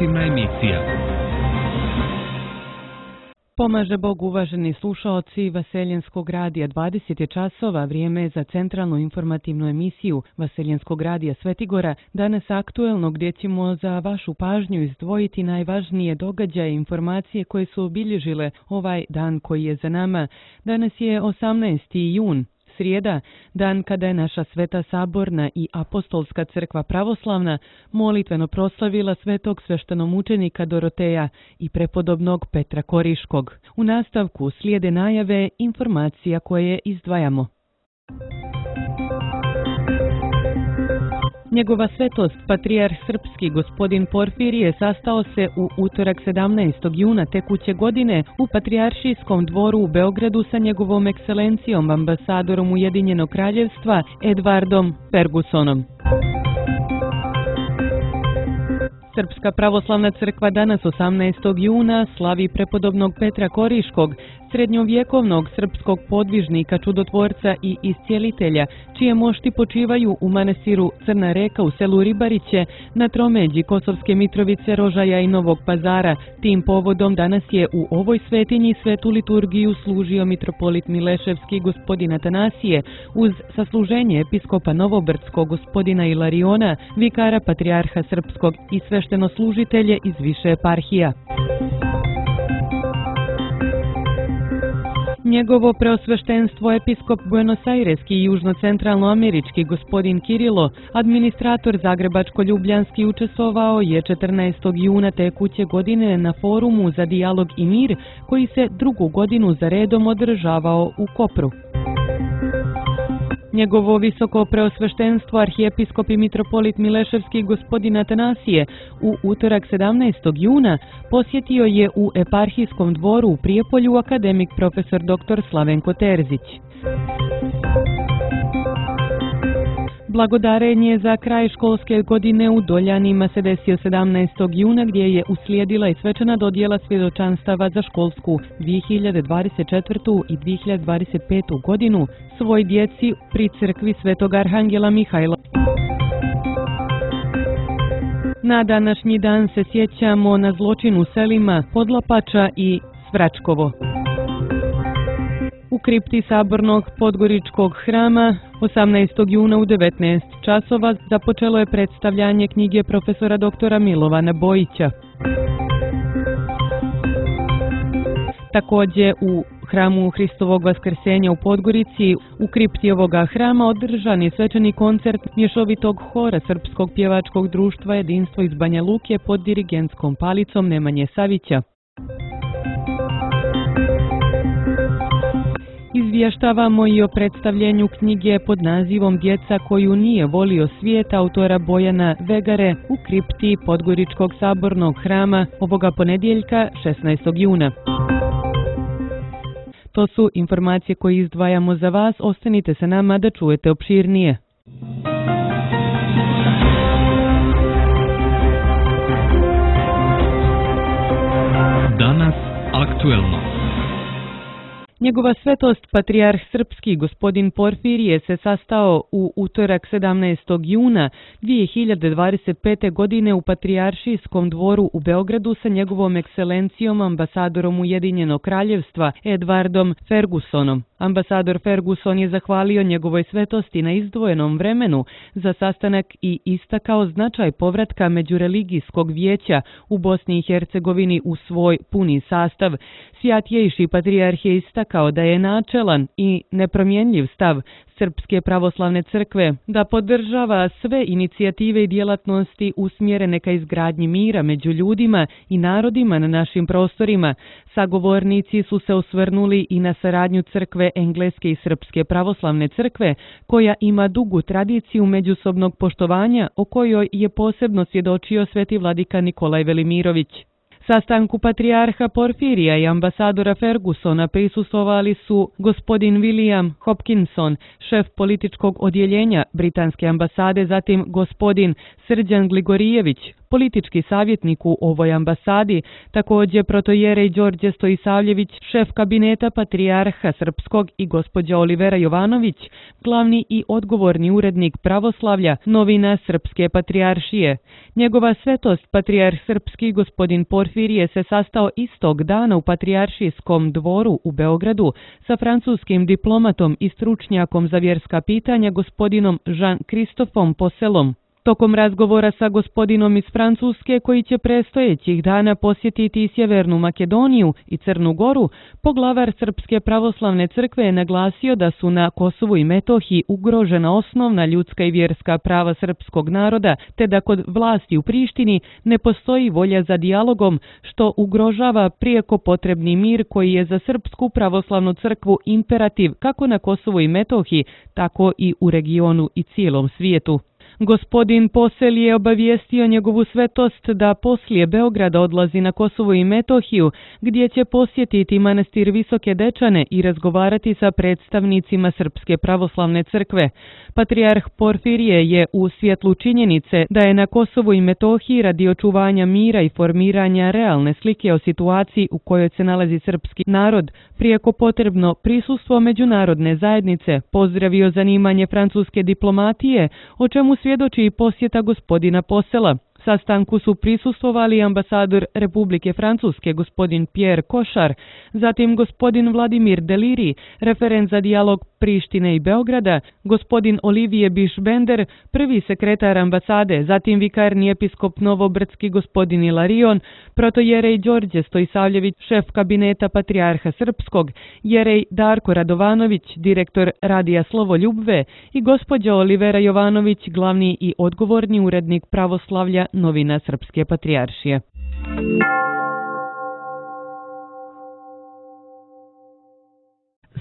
informativna emisija. Pomaže Bog, uvaženi slušaoci Vaseljenskog radija. 20 je časova, vrijeme je za centralnu informativnu emisiju Vaseljenskog radija Svetigora. Danas aktuelno, gdje ćemo za vašu pažnju izdvojiti najvažnije događaje i informacije koje su obilježile ovaj dan koji je za nama. Danas je 18. jun. Srijeda, dan kada je naša Sveta Saborna i Apostolska crkva pravoslavna molitveno proslavila svetog sveštenomučenika Doroteja i prepodobnog Petra Koriškog. U nastavku slijede najave informacija koje izdvajamo. Njegova svetost, patrijarh srpski gospodin Porfirije, sastao se u utorak 17. juna tekuće godine u Patrijaršijskom dvoru u Beogradu sa njegovom ekscelencijom ambasadorom Ujedinjenog kraljevstva Edvardom Fergusonom. Srpska pravoslavna crkva danas 18. juna slavi prepodobnog Petra Koriškog, srednjovjekovnog srpskog podvižnika, čudotvorca i iscijelitelja, čije mošti počivaju u manastiru Crna Reka u selu Ribariće na tromeđi Kosovske Mitrovice, Rožaja i Novog Pazara. Tim povodom danas je u ovoj svetinji svetu liturgiju služio mitropolit Mileševski gospodin Atanasije uz sasluženje episkopa Novobrdskog gospodina Ilariona, vikara patrijarha srpskog i sveštenoslužitelje iz više eparhija. Njegovo preosveštenstvo episkop Buenos-Aireski i južno-centralnoamerički gospodin Kirilo, administrator Zagrebačko-Ljubljanski, učestvovao je 14. juna tekuće godine na forumu za dijalog i mir koji se drugu godinu za redom održavao u Kopru. Njegovo visoko preosveštenstvo arhijepiskop i mitropolit Mileševski gospodin Atanasije u utorak 17. juna posjetio je u eparhijskom dvoru u Prijepolju akademik profesor dr. Slavenko Terzić. Blagodarenje za kraj školske godine u Doljanima se desio 17. juna gdje je uslijedila i svečana dodjela svjedočanstava za školsku 2024. i 2025. godinu svoj djeci pri crkvi Svetog Arhangela Mihajla. Na današnji dan se sjećamo na zločin u selima Podlapača i Svračkovo. U kripti Sabornog Podgoričkog hrama 18. juna u 19 časova započelo je predstavljanje knjige profesora doktora Milovana Bojića. Također u hramu Hristovog vaskrsenja u Podgorici, u kripti ovoga hrama održan je svečani koncert mješovitog hora Srpskog pjevačkog društva Jedinstvo iz Banja Luke pod dirigentskom palicom Nemanje Savića. Izvještavamo i o predstavljenju knjige pod nazivom Djeca koju nije volio svijet autora Bojana Vegare u kripti Podgoričkog sabornog hrama ovoga ponedjeljka 16. juna. To su informacije koje izdvajamo za vas, ostanite sa nama da čujete opširnije. Danas aktuelno. Njegova svetost, patrijarh srpski gospodin Porfirije, se sastao u utorak 17. juna 2025. godine u Patrijaršijskom dvoru u Beogradu sa njegovom ekscelencijom ambasadorom Ujedinjenog kraljevstva Edvardom Fergusonom. Ambasador Ferguson je zahvalio njegovoj svetosti na izdvojenom vremenu za sastanak i istakao značaj povratka Međureligijskog vijeća u Bosni i Hercegovini u svoj puni sastav. Svjatjejši patrijarh je istakao da je načelan i nepromjenjiv stav Srpske pravoslavne crkve da podržava sve inicijative i djelatnosti usmjerene ka izgradnji mira među ljudima i narodima na našim prostorima. Sagovornici su se osvrnuli i na saradnju crkve Engleske i Srpske pravoslavne crkve, koja ima dugu tradiciju međusobnog poštovanja o kojoj je posebno svjedočio sveti vladika Nikolaj Velimirović. Sastanku patrijarha Porfirija i ambasadora Fergusona prisustvovali su gospodin William Hopkinson, šef političkog odjeljenja britanske ambasade, zatim gospodin Srđan Gligorijević, politički savjetnik u ovoj ambasadi, također protojerej Đorđe Stojisavljević, šef kabineta patrijarha Srpskog i gospođa Olivera Jovanović, glavni i odgovorni urednik pravoslavlja novina Srpske patrijaršije. Njegova svetost patrijarh Srpski gospodin Porfirije se sastao istog dana u patrijaršijskom dvoru u Beogradu sa francuskim diplomatom i stručnjakom za vjerska pitanja gospodinom Jean-Christophom Posselom. Tokom razgovora sa gospodinom iz Francuske, koji će predstojećih dana posjetiti Sjevernu Makedoniju i Crnu Goru, poglavar Srpske pravoslavne crkve je naglasio da su na Kosovu i Metohiji ugrožena osnovna ljudska i vjerska prava srpskog naroda, te da kod vlasti u Prištini ne postoji volja za dijalogom, što ugrožava prijeko potrebni mir koji je za Srpsku pravoslavnu crkvu imperativ kako na Kosovu i Metohiji, tako i u regionu i cijelom svijetu. Gospodin Posel je obavijestio njegovu svetost da poslije Beograda odlazi na Kosovo i Metohiju, gdje će posjetiti manastir Visoke Dečane i razgovarati sa predstavnicima Srpske pravoslavne crkve. Patrijarh Porfirije je u svjetlu činjenice da je na Kosovu i Metohiji radi očuvanja mira i formiranja realne slike o situaciji u kojoj se nalazi srpski narod prijeko potrebno prisustvo međunarodne zajednice, pozdravio zanimanje francuske diplomatije, o čemu svjedoči i posjeta gospodina Posela. Sastanku su prisustvovali ambasador Republike Francuske gospodin Pierre Košar, zatim gospodin Vladimir Deliri, referent za dijalog Prištine i Beograda, gospodin Olivier Biš-Bender, prvi sekretar ambasade, zatim vikarni episkop Novobrdski gospodin Ilarion, protojerej Đorđe Stojisavljević, šef kabineta patrijarha Srpskog, jerej Darko Radovanović, direktor radija Slovo Ljubve i gospođa Olivera Jovanović, glavni i odgovorni urednik pravoslavlja novina Srpske patrijaršije.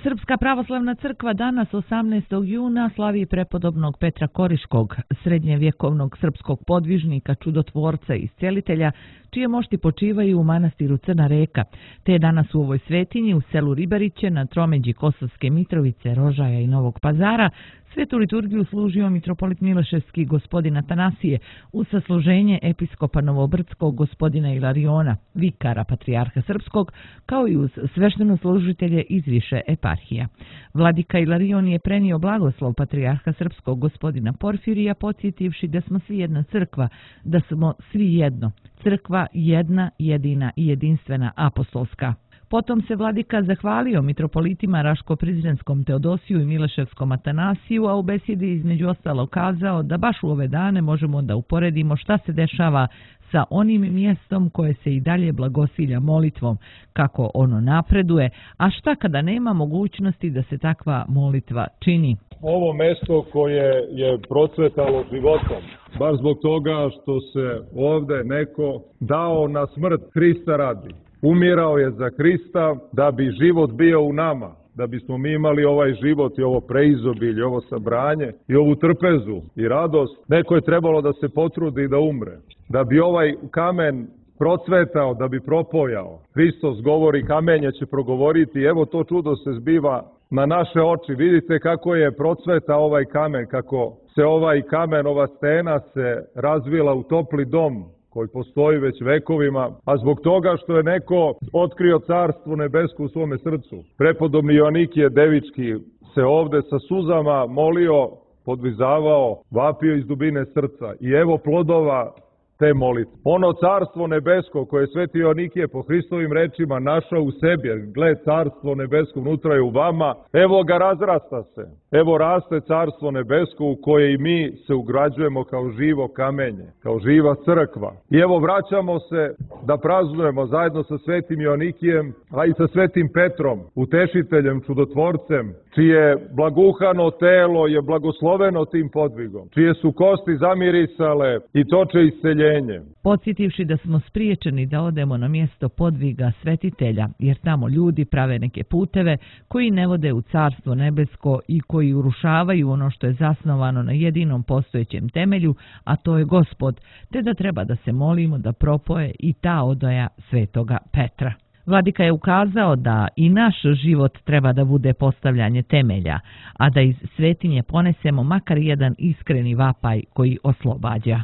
Srpska pravoslavna crkva danas 18. juna slavi prepodobnog Petra Koriškog, srednjevjekovnog srpskog podvižnika, čudotvorca i iscelitelja, čije mošti počivaju u manastiru Crna Reka, te je danas u ovoj svetinji u selu Ribariće na tromeđi Kosovske Mitrovice, Rožaja i Novog Pazara svetu liturgiju služio mitropolit Mileševski gospodin Atanasije uz sasluženje episkopa Novobrdskog gospodina Ilariona, vikara patrijarha Srpskog, kao i uz svešteno-služitelje iz više eparhija. Vladika Ilarion je prenio blagoslov patrijarha Srpskog gospodina Porfirija, podsjetivši da smo svi jedna crkva, da smo svi jedno. Crkva jedna, jedina i jedinstvena apostolska. Potom se vladika zahvalio mitropolitima Raško-Prizrenskom Teodosiju i Mileševskom Atanasiju, a u besjedi između ostalo kazao da baš u ove dane možemo da uporedimo šta se dešava sa onim mjestom koje se i dalje blagosilja molitvom, kako ono napreduje, a šta kada nema mogućnosti da se takva molitva čini. Ovo mjesto koje je procvetalo životom, baš zbog toga što se ovdje neko dao na smrt Hrista radi. Umirao je za Hrista da bi život bio u nama, da bismo mi imali ovaj život i ovo preizobilje, ovo sabranje i ovu trpezu i radost. Neko je trebalo da se potrudi da umre, da bi ovaj kamen procvetao, da bi propojao. Hristos govori, kamenje će progovoriti, evo to čudo se zbiva na naše oči. Vidite kako je procvetao ovaj kamen, kako se ovaj kamen, ova stena se razvila u topli dom koji postoji već vekovima, a zbog toga što je neko otkrio carstvo nebesko u svome srcu. Prepodobni Joanikije Devički se ovde sa suzama molio, podvizavao, vapio iz dubine srca i evo plodova te molitve. Ono carstvo nebesko koje je sveti Joanikije po Hristovim rečima našao u sebi, jer gle, carstvo nebesko unutra je u vama, evo ga razrasta se, evo raste carstvo nebesko u koje i mi se ugrađujemo kao živo kamenje, kao živa crkva. I evo vraćamo se da praznujemo zajedno sa svetim Joanikijem, a i sa svetim Petrom, utešiteljem, čudotvorcem, čije blaguhano telo je blagosloveno tim podvigom, čije su kosti zamirisale i toče isceljenje. Podsjetivši da smo spriječeni da odemo na mjesto podviga svetitelja, jer tamo ljudi prave neke puteve koji ne vode u carstvo nebesko i koji urušavaju ono što je zasnovano na jedinom postojećem temelju, a to je Gospod, te da treba da se molimo da propoje i ta ta odaja svetoga Petra. Vladika je ukazao da i naš život treba da bude postavljanje temelja, a da iz svetinje ponesemo makar jedan iskreni vapaj koji oslobađa.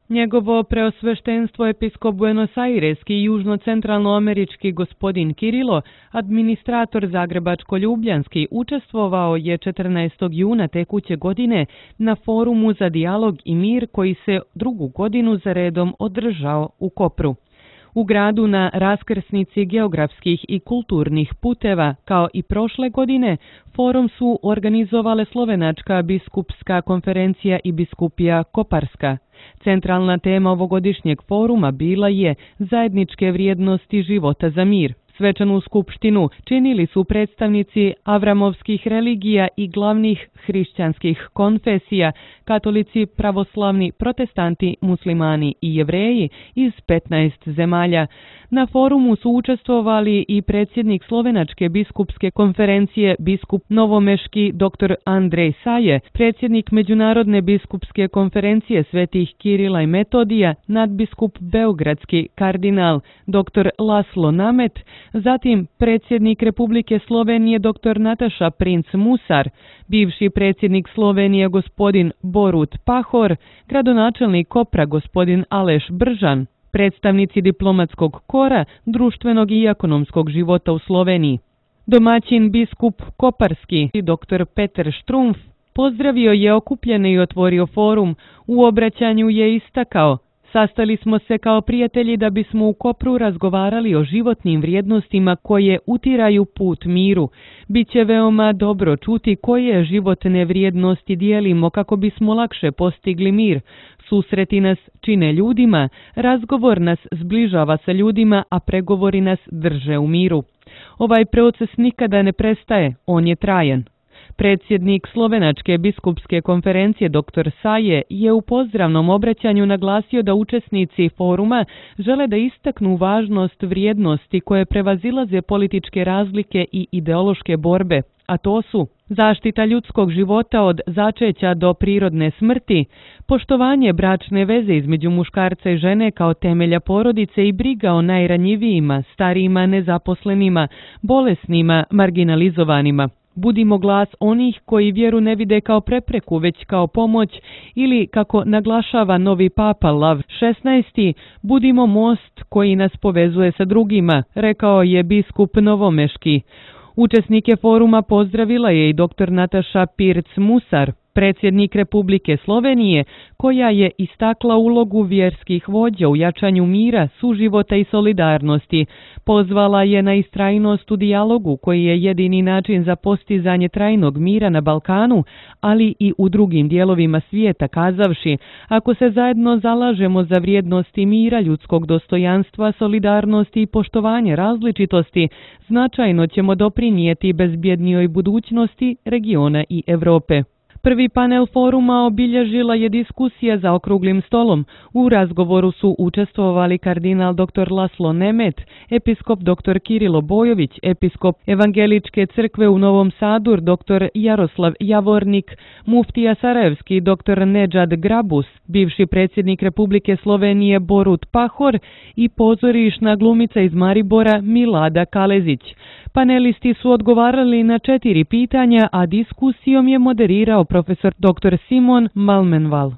Njegovo preosveštenstvo episkop Buenos Aireski i južno-centralnoamerički gospodin Kirilo, administrator Zagrebačko-Ljubljanski, učestvovao je 14. juna tekuće godine na forumu za dijalog i mir koji se drugu godinu za redom održao u Kopru. U gradu na raskrsnici geografskih i kulturnih puteva, kao i prošle godine, forum su organizovale Slovenačka biskupska konferencija i biskupija Koparska. Centralna tema ovogodišnjeg foruma bila je zajedničke vrijednosti života za mir. Svečanu skupštinu činili su predstavnici avramovskih religija i glavnih hrišćanskih konfesija, katolici, pravoslavni, protestanti, muslimani i jevreji iz 15 zemalja. Na forumu su učestvovali i predsjednik Slovenačke biskupske konferencije, biskup novomeški dr. Andrej Saje, predsjednik Međunarodne biskupske konferencije svetih Kirila i Metodija, nadbiskup beogradski kardinal dr. Laslo Namet, zatim predsjednik Republike Slovenije dr. Nataša Princ Musar, bivši predsjednik Slovenije gospodin Borut Pahor, gradonačelnik Kopra gospodin Aleš Bržan, predstavnici diplomatskog kora, društvenog i ekonomskog života u Sloveniji. Domaćin biskup Koparski, dr. Peter Štrumf, pozdravio je okupljene i otvorio forum. U obraćanju je istakao: sastali smo se kao prijatelji da bismo u Kopru razgovarali o životnim vrijednostima koje utiraju put miru. Biće veoma dobro čuti koje životne vrijednosti dijelimo kako bismo lakše postigli mir. Susreti nas čine ljudima, razgovor nas zbližava sa ljudima, a pregovori nas drže u miru. Ovaj proces nikada ne prestaje, on je trajan. Predsjednik Slovenačke biskupske konferencije dr. Saje je u pozdravnom obraćanju naglasio da učesnici foruma žele da istaknu važnost vrijednosti koje prevazilaze političke razlike i ideološke borbe, a to su zaštita ljudskog života od začeća do prirodne smrti, poštovanje bračne veze između muškarca i žene kao temelja porodice i briga o najranjivijima, starijima, nezaposlenima, bolesnima, marginalizovanima. Budimo glas onih koji vjeru ne vide kao prepreku, već kao pomoć, ili, kako naglašava novi papa Lav 16. budimo most koji nas povezuje sa drugima, rekao je biskup novomeški. Učesnike foruma pozdravila je i dr. Nataša Pirc Musar, predsjednik Republike Slovenije, koja je istakla ulogu vjerskih vođa u jačanju mira, suživota i solidarnosti. Pozvala je na istrajnost u dijalogu koji je jedini način za postizanje trajnog mira na Balkanu, ali i u drugim dijelovima svijeta, kazavši: ako se zajedno zalažemo za vrijednosti mira, ljudskog dostojanstva, solidarnosti i poštovanje različitosti, značajno ćemo doprinijeti bezbjednijoj budućnosti regiona i Europe. Prvi panel foruma obilježila je diskusija za okruglim stolom. U razgovoru su učestvovali kardinal dr. Laslo Nemet, episkop dr. Kirilo Bojović, episkop Evangeličke crkve u Novom Sadu dr. Jaroslav Javornik, muftija Sarajevski dr. Nedžad Grabus, bivši predsjednik Republike Slovenije Borut Pahor i pozorišna glumica iz Maribora Milada Kalezić. Panelisti su odgovarali na 4 pitanja, a diskusijom je moderirao profesor dr. Simon Malmenval.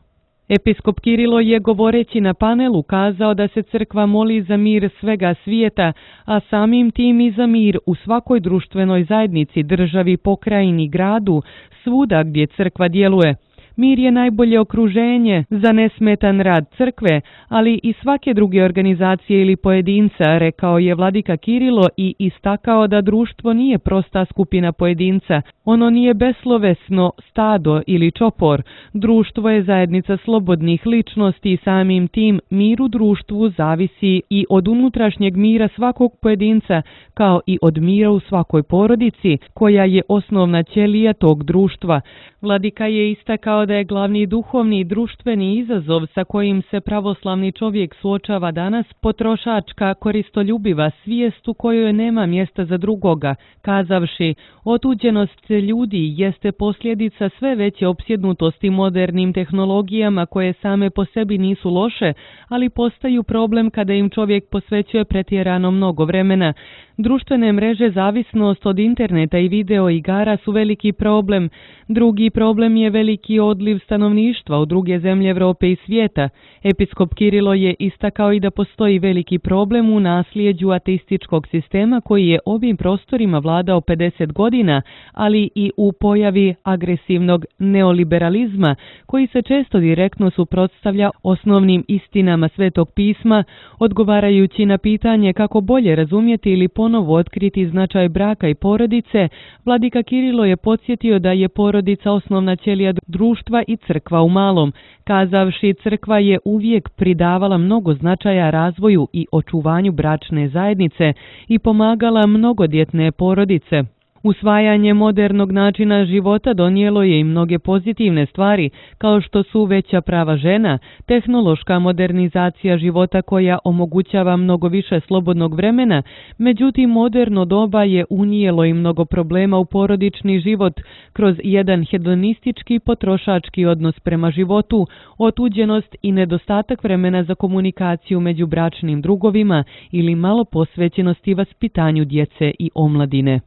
Episkop Kirilo je govoreći na panelu kazao da se crkva moli za mir svega svijeta, a samim tim i za mir u svakoj društvenoj zajednici, državi, pokrajini, gradu, svuda gdje crkva djeluje. Mir je najbolje okruženje za nesmetan rad crkve, ali i svake druge organizacije ili pojedinca, rekao je vladika Kirilo i istakao da društvo nije prosta skupina pojedinca. Ono nije beslovesno stado ili čopor. Društvo je zajednica slobodnih ličnosti i samim tim mir u društvu zavisi i od unutrašnjeg mira svakog pojedinca, kao i od mira u svakoj porodici, koja je osnovna ćelija tog društva. Vladika je istakao rekao da je glavni duhovni i društveni izazov sa kojim se pravoslavni čovjek suočava danas potrošačka, koristoljubiva svijest u kojoj nema mjesta za drugoga, kazavši: otuđenost ljudi jeste posljedica sve veće opsjednutosti modernim tehnologijama koje same po sebi nisu loše, ali postaju problem kada im čovjek posvećuje pretjerano mnogo vremena. Društvene mreže, zavisnost od interneta i video igara su veliki problem. Drugi problem je veliki odliv stanovništva u druge zemlje Europe i svijeta. Episkop Kirilo je istakao i da postoji veliki problem u nasljeđu ateističkog sistema koji je ovim prostorima vladao 50 godina, ali i u pojavi agresivnog neoliberalizma koji se često direktno suprotstavlja osnovnim istinama Svetog pisma, odgovarajući na pitanje kako bolje razumjeti ili ponovo otkriti značaj braka i porodice. Vladika Kirilo je podsjetio da je porodica osnovna ćelija društva i crkva u malom, kazavši: crkva je uvijek pridavala mnogo značaja razvoju i očuvanju bračne zajednice i pomagala mnogodjetne porodice. Usvajanje modernog načina života donijelo je i mnoge pozitivne stvari, kao što su veća prava žena, tehnološka modernizacija života koja omogućava mnogo više slobodnog vremena, međutim moderno doba je unijelo i mnogo problema u porodični život kroz jedan hedonistički potrošački odnos prema životu, otuđenost i nedostatak vremena za komunikaciju među bračnim drugovima ili malo posvećenosti vaspitanju djece i omladine.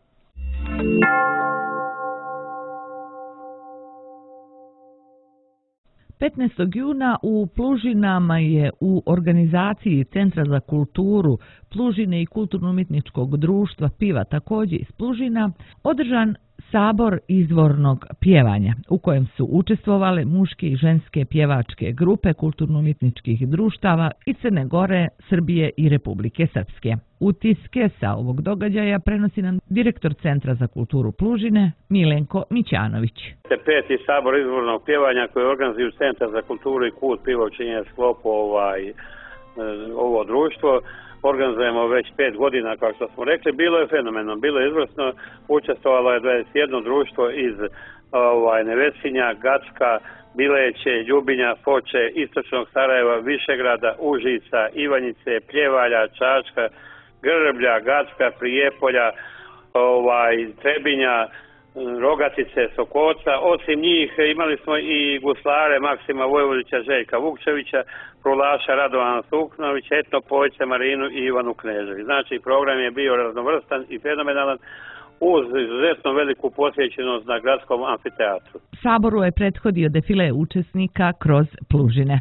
15. juna u Plužinama je u organizaciji Centra za kulturu Plužine i kulturno-umjetničkog društva Piva, također iz Plužina, održan sabor izvornog pjevanja u kojem su učestvovale muške i ženske pjevačke grupe kulturno-umjetničkih društava iz Crne Gore, Srbije i Republike Srpske. Utiske sa ovog događaja prenosi nam direktor Centra za kulturu Plužine, Milenko Mićanović. Peti sabor izvornog pjevanja koji organizuju Centar za kulturu i kult Piva čini sklopu ovo društvo. Organizujemo već 5 godina, kao što smo rekli. Bilo je fenomenalno, bilo je izvrsno. Učestvovalo je 21 društvo iz Nevesinja, Gacka, Bileće, Ljubinja, Foče, Istočnog Sarajeva, Višegrada, Užica, Ivanjice, Pljevalja, Čačka, Grblja, Gacka, Prijepolja, Trebinja, Rogatice, Sokoca. Osim njih imali smo i guslare Maksima Vojvodića, Željka Vukčevića, Prulaša Radovana Suknovića, Etnopojce Marinu i Ivanu Kneževi. Znači, program je bio raznovrstan i fenomenalan uz izuzetno veliku posvećenost na gradskom amfiteatru. Saboru je prethodio defile učesnika kroz Plužine.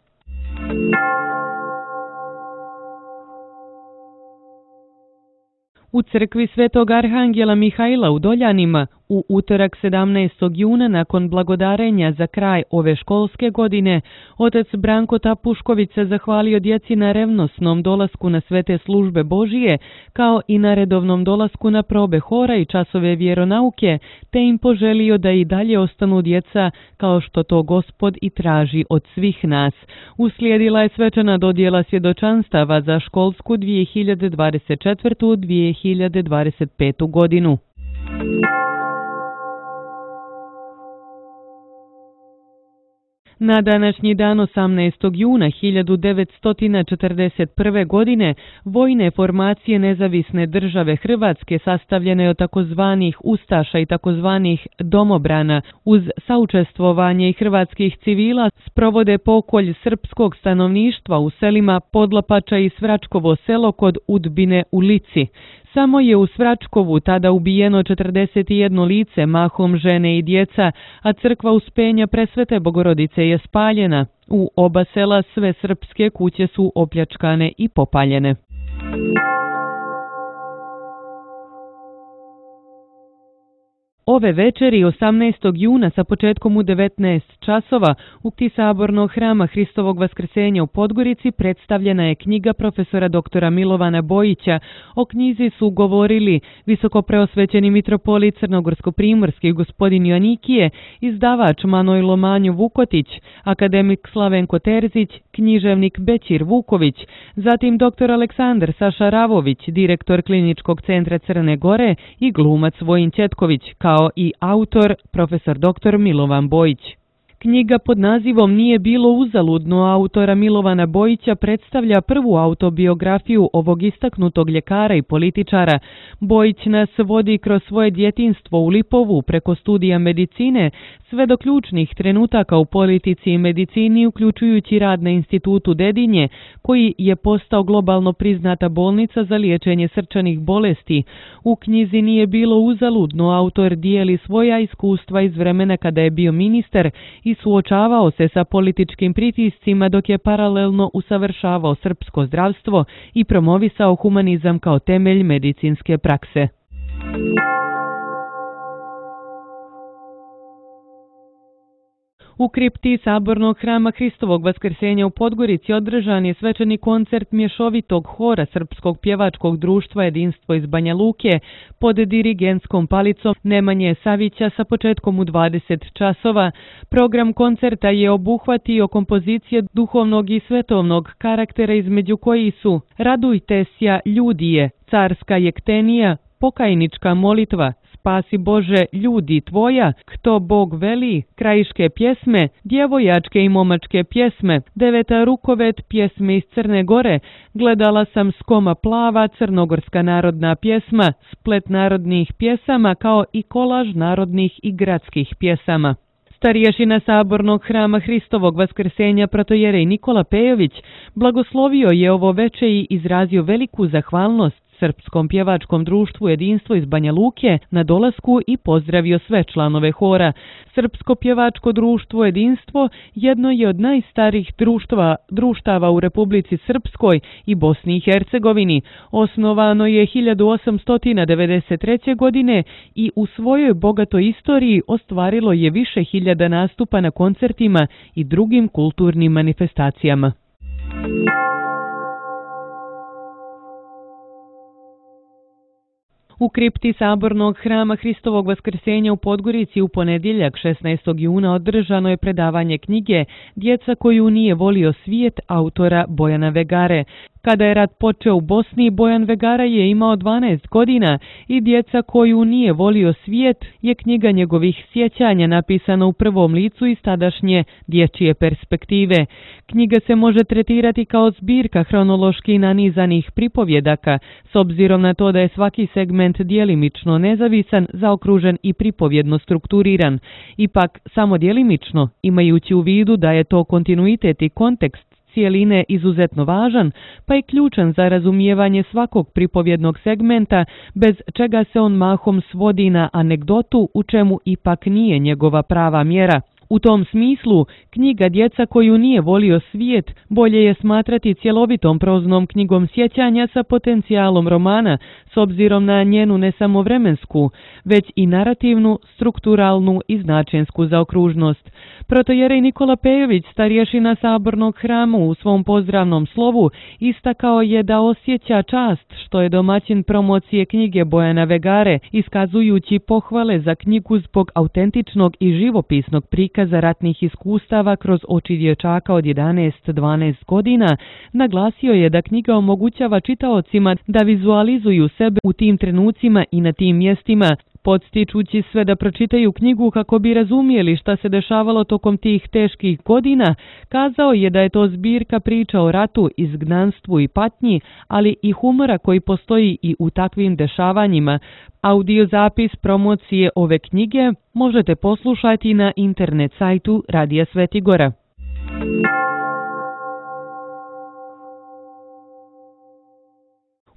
U crkvi Svetog Arhangela Mihajla u Doljanima u utorak 17. juna nakon blagodarenja za kraj ove školske godine, otac Branko Tapušković se zahvalio djeci na revnosnom dolasku na svete službe Božije, kao i na redovnom dolasku na probe hora i časove vjeronauke, te im poželio da i dalje ostanu djeca kao što to Gospod i traži od svih nas. Uslijedila je svečana dodjela svjedočanstava za školsku 2024-2025. godinu. Na današnji dan 18. juna 1941. godine vojne formacije Nezavisne države Hrvatske, sastavljene od takozvanih ustaša i takozvanih domobrana, uz saučestvovanje i hrvatskih civila, sprovode pokolj srpskog stanovništva u selima Podlapača i Svračkovo selo kod Udbine u Lici. Samo je u Svračkovu tada ubijeno 41 lice, mahom žene i djeca, a crkva Uspenja Presvete Bogorodice je spaljena. U oba sela sve srpske kuće su opljačkane i popaljene. Ove večeri 18. juna sa početkom u 19 časova u kti sabornog hrama Hristovog vaskrsenja u Podgorici predstavljena je knjiga profesora doktora Milovana Bojića. O knjizi su govorili visokopreosvećeni mitropolit Crnogorsko-primorski gospodin Joanikije, izdavač Manojlo Manjo Vukotić, akademik Slavenko Terzić, književnik Bećir Vuković, zatim dr. Aleksandar Saša Ravović, direktor Kliničkog centra Crne Gore i glumac Vojin Ćetković, kao i autor profesor dr. Milovan Bojić. Knjiga pod nazivom Nije bilo uzaludno autora Milovana Bojića predstavlja prvu autobiografiju ovog istaknutog ljekara i političara. Bojić nas vodi kroz svoje djetinjstvo u Lipovu preko studija medicine sve do ključnih trenutaka u politici i medicini, uključujući rad na Institutu Dedinje, koji je postao globalno priznata bolnica za liječenje srčanih bolesti. U knjizi Nije bilo uzaludno autor dijeli svoja iskustva iz vremena kada je bio ministar i suočavao se sa političkim pritiscima dok je paralelno usavršavao srpsko zdravstvo i promovisao humanizam kao temelj medicinske prakse. U kripti Sabornog hrama Hristovog Vaskrsenja u Podgorici održan je svečani koncert mješovitog hora Srpskog pjevačkog društva Jedinstvo iz Banja Luke pod dirigentskom palicom Nemanje Savića sa početkom u 20 časova. Program koncerta je obuhvatio kompozicije duhovnog i svetovnog karaktera, između koji su Radujte sja ljudije, Carska jektenija, Pokajnička molitva, Spasi Bože ljudi tvoja, Kto Bog veli, krajiške pjesme, djevojačke i momačke pjesme, Deveta rukovet, pjesme iz Crne Gore, Gledala sam skoma plava, crnogorska narodna pjesma, splet narodnih pjesama kao i kolaž narodnih i gradskih pjesama. Starješina Sabornog hrama Hristovog Vaskrsenja protojerej Nikola Pejović blagoslovio je ovo veče i izrazio veliku zahvalnost Srpskom pjevačkom društvu Jedinstvo iz Banja Luke na dolasku i pozdravio sve članove hora. Srpsko pjevačko društvo Jedinstvo jedno je od najstarijih društava u Republici Srpskoj i Bosni i Hercegovini. Osnovano je 1893. godine i u svojoj bogatoj istoriji ostvarilo je više hiljada nastupa na koncertima i drugim kulturnim manifestacijama. U kripti Sabornog hrama Hristovog Vaskrsenja u Podgorici u ponedjeljak 16. juna održano je predavanje knjige Djeca koju nije volio svijet autora Bojana Vegare. Kada je rat počeo u Bosni, Bojan Vegara je imao 12 godina i Djeca koju nije volio svijet je knjiga njegovih sjećanja napisana u prvom licu iz tadašnje dječje perspektive. Knjiga se može tretirati kao zbirka hronološki nanizanih pripovjedaka, s obzirom na to da je svaki segment djelimično nezavisan, zaokružen i pripovjedno strukturiran. Ipak, samo djelimično, imajući u vidu da je to kontinuitet i kontekst cijeline izuzetno važan, pa je ključan za razumijevanje svakog pripovjednog segmenta, bez čega se on mahom svodi na anegdotu, u čemu ipak nije njegova prava mjera. U tom smislu, knjiga Djeca koju nije volio svijet bolje je smatrati cjelovitom proznom knjigom sjećanja sa potencijalom romana, s obzirom na njenu ne samo vremensku, već i narativnu, strukturalnu i značensku zaokružnost. Protojerej Nikola Pejović, starješina Sabornog hrama, u svom pozdravnom slovu istakao je da osjeća čast što je domaćin promocije knjige Bojana Vegare, iskazujući pohvale za knjigu zbog autentičnog i živopisnog prikaza ratnih iskustava kroz oči dječaka od 11-12 godina. Naglasio je da knjiga omogućava čitaocima da vizualizuju sebe u tim trenucima i na tim mjestima, podstičući sve da pročitaju knjigu kako bi razumjeli šta se dešavalo tokom tih teških godina. Kazao je da je to zbirka priča o ratu, izgnanstvu i patnji, ali i humora koji postoji i u takvim dešavanjima. Audio zapis promocije ove knjige možete poslušati na internet sajtu Radija Sveti Gora.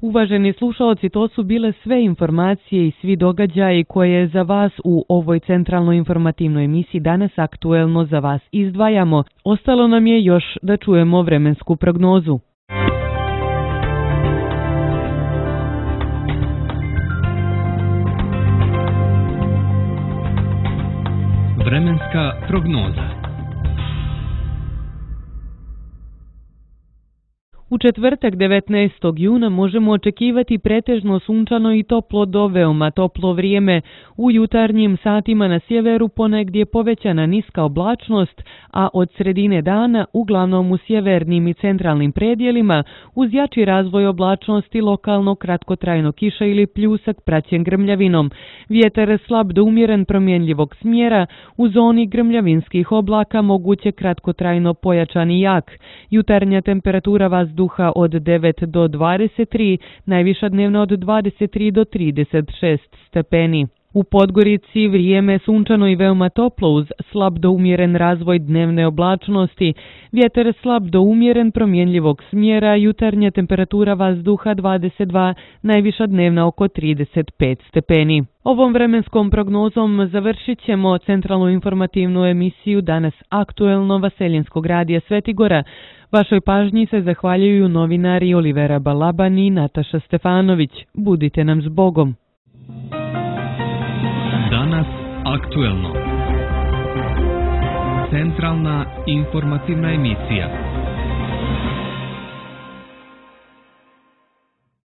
Uvaženi slušalci, to su bile sve informacije i svi događaji koje za vas u ovoj centralnoj informativnoj emisiji Danas aktuelno za vas izdvajamo. Ostalo nam je još da čujemo vremensku prognozu. Vremenska prognoza. U četvrtak 19. juna možemo očekivati pretežno sunčano i toplo do veoma toplo vrijeme. U jutarnjim satima na sjeveru ponegdje povećana niska oblačnost, a od sredine dana uglavnom u sjevernim i centralnim predjelima uz jači razvoj oblačnosti lokalno kratkotrajno kiša ili pljusak praćen grmljavinom. Vjetar slab do umjeren promjenljivog smjera, u zoni grmljavinskih oblaka moguće kratkotrajno pojačan i jak. Jutarnja temperatura vazduha od 9 do 23, najviša dnevna od 23 do 36 stepeni. U Podgorici vrijeme sunčano i veoma toplo uz slab do umjeren razvoj dnevne oblačnosti. Vjetar slab do umjeren promjenljivog smjera, jutarnja temperatura vazduha 22, najviša dnevna oko 35 stepeni. Ovom vremenskom prognozom završit ćemo centralnu informativnu emisiju Danas aktuelno Vaseljenskog radija Svetigora. Vašoj pažnji se zahvaljuju novinari Olivera Balaban i Nataša Stefanović. Budite nam s Bogom. Danas aktuelno. Centralna informativna emisija.